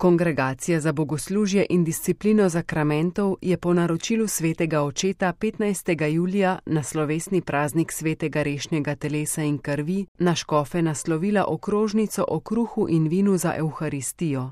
Kongregacija za bogoslužje in disciplino zakramentov je po naročilu svetega očeta 15. julija na slovesni praznik svetega rešnjega telesa in krvi na škofe naslovila okrožnico o kruhu in vinu za Evharistijo.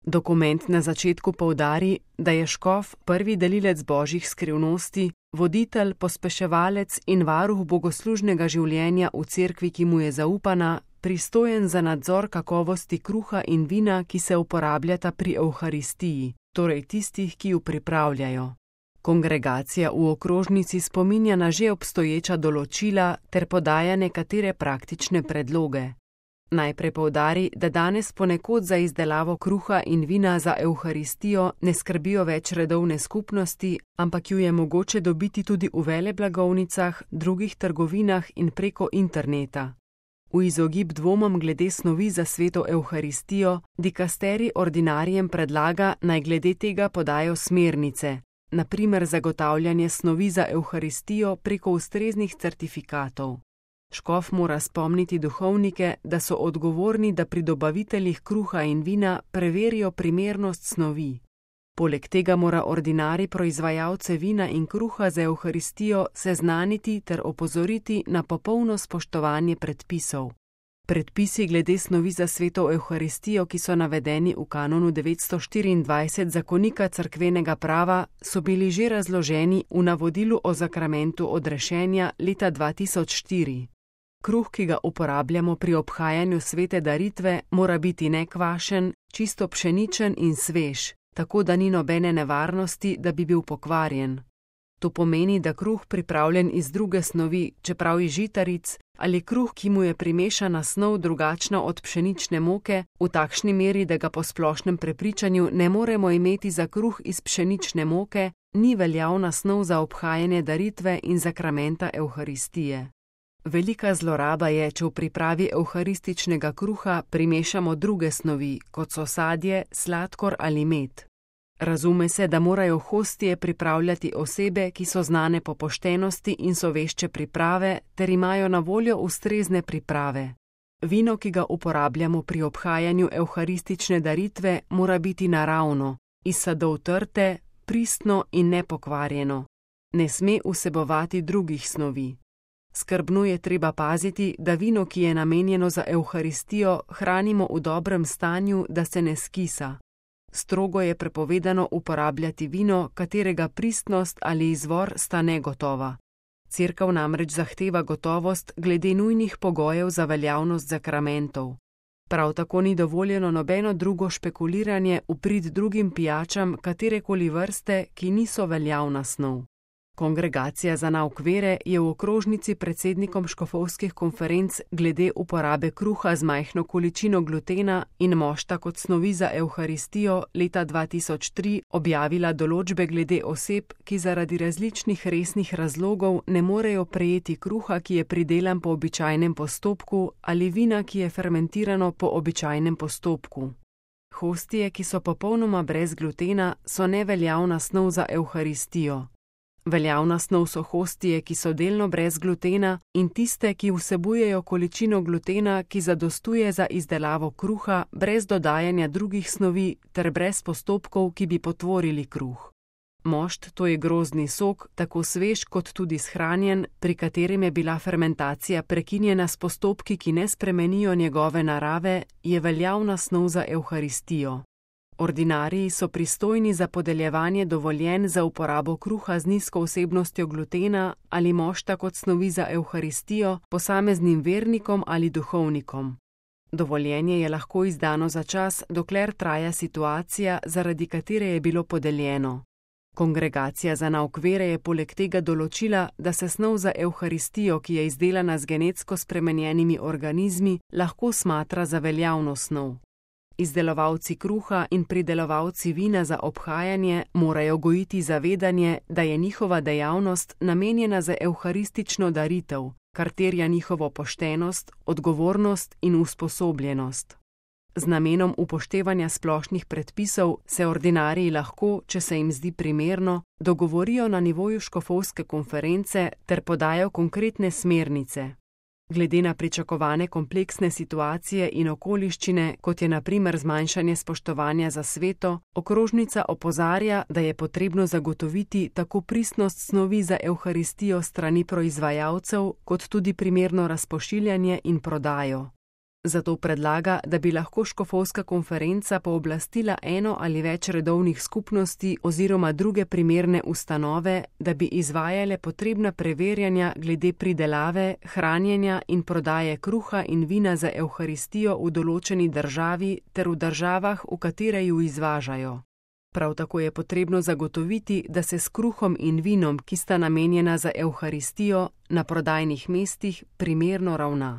Dokument na začetku poudari, da je škof prvi delilec božjih skrivnosti, voditelj, pospeševalec in varuh bogoslužnega življenja v cerkvi, ki mu je zaupana, pristojen za nadzor kakovosti kruha in vina, ki se uporabljata pri Evharistiji, torej tistih, ki ju pripravljajo. Kongregacija v okrožnici spominja na že obstoječa določila ter podaja nekatere praktične predloge. Najprej poudari, da danes ponekod za izdelavo kruha in vina za Evharistijo ne skrbijo več redovne skupnosti, ampak ju je mogoče dobiti tudi v veleblagovnicah, drugih trgovinah in preko interneta. V izogib dvomom glede snovi za sveto Evharistijo, dikasterij ordinarijem predlaga, naj glede tega podajo smernice, na primer zagotavljanje snovi za Evharistijo preko ustreznih certifikatov. Škof mora spomniti duhovnike, da so odgovorni, da pri dobaviteljih kruha in vina preverijo primernost snovi. Poleg tega mora ordinarij proizvajalce vina in kruha za Evharistijo seznaniti ter opozoriti na popolno spoštovanje predpisov. Predpisi glede snovi za sveto Evharistijo, ki so navedeni v kanonu 924 zakonika cerkvenega prava, so bili že razloženi v navodilu o zakramentu odrešenja leta 2004. Kruh, ki ga uporabljamo pri obhajanju svete daritve, mora biti nekvašen, čisto pšeničen in svež, tako da ni nobene nevarnosti, da bi bil pokvarjen. To pomeni, da kruh pripravljen iz druge snovi, čeprav iz žitaric, ali kruh, ki mu je primešana snov drugačna od pšenične moke, v takšni meri, da ga po splošnem prepričanju ne moremo imeti za kruh iz pšenične moke, ni veljavna snov za obhajanje daritve in zakramenta Evharistije. Velika zloraba je, če v pripravi evharističnega kruha primešamo druge snovi, kot so sadje, sladkor ali med. Razume se, da morajo hostije pripravljati osebe, ki so znane po poštenosti in so vešče priprave, ter imajo na voljo ustrezne priprave. Vino, ki ga uporabljamo pri obhajanju evharistične daritve, mora biti naravno, iz sadov trte, pristno in nepokvarjeno. Ne sme vsebovati drugih snovi. Skrbno je treba paziti, da vino, ki je namenjeno za Evharistijo, hranimo v dobrem stanju, da se ne skisa. Strogo je prepovedano uporabljati vino, katerega pristnost ali izvor sta negotova. Cerkev namreč zahteva gotovost glede nujnih pogojev za veljavnost zakramentov. Prav tako ni dovoljeno nobeno drugo špekuliranje v prid drugim pijačam katerekoli vrste, ki niso veljavna snov. Kongregacija za nauk vere je v okrožnici predsednikom škofovskih konferenc glede uporabe kruha z majhno količino glutena in mošta kot snovi za Evharistijo leta 2003 objavila določbe glede oseb, ki zaradi različnih resnih razlogov ne morejo prejeti kruha, ki je pridelan po običajnem postopku, ali vina, ki je fermentirano po običajnem postopku. Hostije, ki so popolnoma brez glutena, so neveljavna snov za Evharistijo. Veljavna snov so hostije, ki so delno brez glutena, in tiste, ki vsebujejo količino glutena, ki zadostuje za izdelavo kruha, brez dodajanja drugih snovi ter brez postopkov, ki bi potvorili kruh. Mošt, to je grozdni sok, tako svež kot tudi shranjen, pri katerem je bila fermentacija prekinjena s postopki, ki ne spremenijo njegove narave, je veljavna snov za Evharistijo. Ordinariji so pristojni za podeljevanje dovoljenj za uporabo kruha z nizko vsebnostjo glutena ali mošta kot snovi za Evharistijo posameznim vernikom ali duhovnikom. Dovoljenje je lahko izdano za čas, dokler traja situacija, zaradi katere je bilo podeljeno. Kongregacija za nauk vere je poleg tega določila, da se snov za Evharistijo, ki je izdelana z genetsko spremenjenimi organizmi, lahko smatra za veljavno snov. Izdelovalci kruha in pridelovalci vina za obhajanje morajo gojiti zavedanje, da je njihova dejavnost namenjena za evharistično daritev, kar terja njihovo poštenost, odgovornost in usposobljenost. Z namenom upoštevanja splošnih predpisov se ordinariji lahko, če se jim zdi primerno, dogovorijo na nivoju škofovske konference ter podajo konkretne smernice. Glede na pričakovane kompleksne situacije in okoliščine, kot je na primer zmanjšanje spoštovanja za sveto, okrožnica opozarja, da je potrebno zagotoviti tako pristnost snovi za evharistijo strani proizvajalcev, kot tudi primerno razpošiljanje in prodajo. Zato predlaga, da bi lahko škofovska konferenca pooblastila eno ali več redovnih skupnosti oziroma druge primerne ustanove, da bi izvajale potrebna preverjanja glede pridelave, hranjenja in prodaje kruha in vina za evharistijo v določeni državi ter v državah, v katere ju izvažajo. Prav tako je potrebno zagotoviti, da se s kruhom in vinom, ki sta namenjena za evharistijo, na prodajnih mestih primerno ravna.